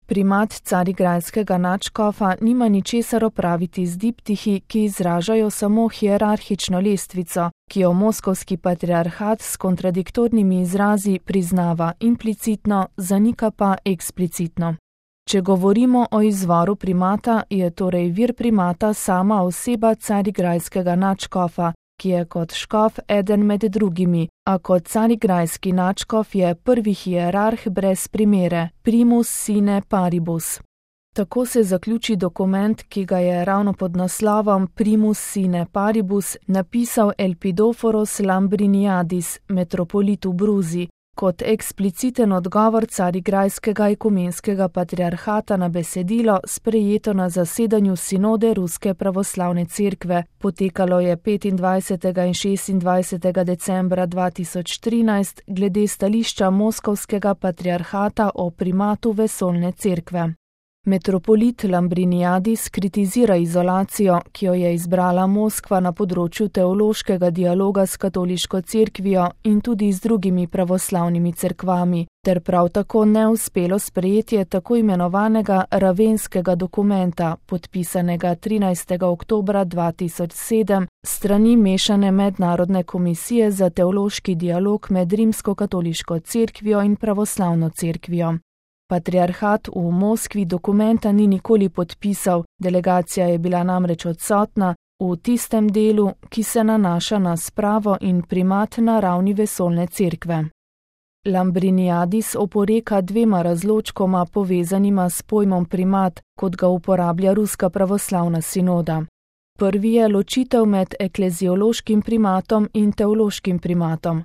Primat carigrajskega nadškofa nima ničesar opraviti z diptihi, ki izražajo samo hierarhično lestvico, ki jo moskovski patriarhat s kontradiktornimi izrazi priznava implicitno, zanika pa eksplicitno. Če govorimo o izvoru primata, je torej vir primata sama oseba carigrajskega nadškofa, ki je kot škof eden med drugimi, a kot carigrajski nadškof je prvi hierarh brez primere, primus sine paribus. Tako se zaključi dokument, ki ga je ravno pod naslovom Primus sine paribus napisal Elpidoforos Lambriniadis, metropolit v Bruzi, kot ekspliciten odgovor carigrajskega ekumenskega patriarhata na besedilo, sprejeto na zasedanju sinode Ruske pravoslavne cerkve, potekalo je 25. in 26. decembra 2013 glede stališča moskovskega patriarhata o primatu vesoljne cerkve. Metropolit Lambriniadis kritizira izolacijo, ki jo je izbrala Moskva na področju teološkega dialoga s katoliško cerkvijo in tudi z drugimi pravoslavnimi cerkvami, ter prav tako neuspelo sprejetje tako imenovanega ravenskega dokumenta, podpisanega 13. oktobra 2007 strani mešane mednarodne komisije za teološki dialog med rimsko-katoliško cerkvijo in pravoslavno cerkvijo. Patriarhat v Moskvi dokumenta ni nikoli podpisal, delegacija je bila namreč odsotna v tistem delu, ki se nanaša na spravo in primat na ravni vesoljne cerkve. Lambriniadis oporeka dvema razločkoma povezanima s pojmom primat, kot ga uporablja Ruska pravoslavna sinoda. Prvi je ločitev med ekleziološkim primatom in teološkim primatom.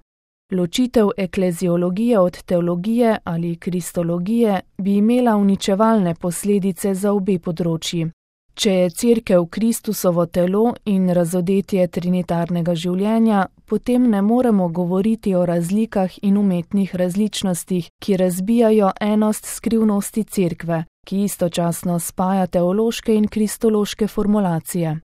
Ločitev ekleziologije od teologije ali kristologije bi imela uničevalne posledice za obe področji. Če je cerkev Kristusovo telo in razodetje trinitarnega življenja, potem ne moremo govoriti o razlikah in umetnih različnostih, ki razbijajo enost skrivnosti cerkve, ki istočasno spaja teološke in kristološke formulacije.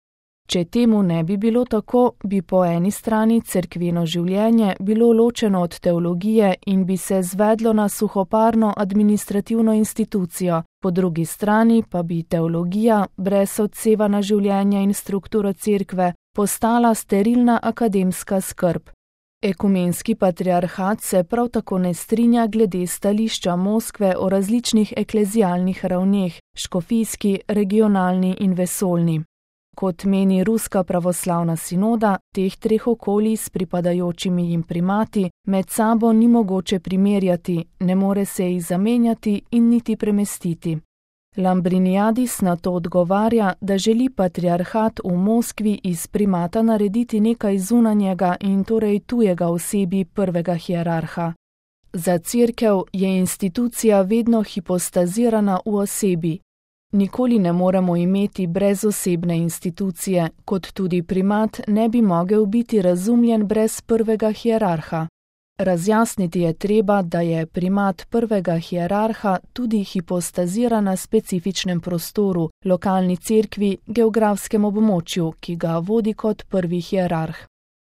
Če temu ne bi bilo tako, bi po eni strani cerkveno življenje bilo ločeno od teologije in bi se zvedlo na suhoparno administrativno institucijo, po drugi strani pa bi teologija, brez odseva na življenje in strukturo cerkve, postala sterilna akademska skrb. Ekumenski patriarhat se prav tako ne strinja glede stališča Moskve o različnih eklezialnih ravneh, škofijski, regionalni in vesoljni. Kot meni Ruska pravoslavna sinoda, teh treh okolij s pripadajočimi jim primati med sabo ni mogoče primerjati, ne more se jih zamenjati in niti premestiti. Lambriniadis na to odgovarja, da želi patriarhat v Moskvi iz primata narediti nekaj zunanjega in torej tujega osebi prvega hierarha. Za cerkev je institucija vedno hipostazirana v osebi. Nikoli ne moremo imeti brezosebne institucije, kot tudi primat ne bi mogel biti razumljen brez prvega hierarha. Razjasniti je treba, da je primat prvega hierarha tudi hipostaziran na specifičnem prostoru, lokalni cerkvi, geografskem območju, ki ga vodi kot prvi hierarh.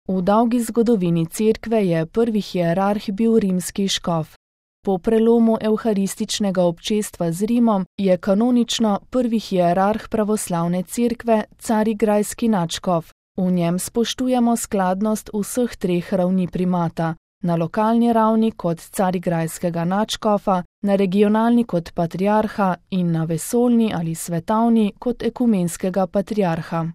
V dolgi zgodovini cerkve je prvi hierarh bil rimski škof. Po prelomu evharističnega občestva z Rimom je kanonično prvi hierarh pravoslavne cerkve carigrajski nadškof. V njem spoštujemo skladnost vseh treh ravni primata, na lokalni ravni kot carigrajskega nadškofa, na regionalni kot patriarha in na vesoljni ali svetovni kot ekumenskega patriarha.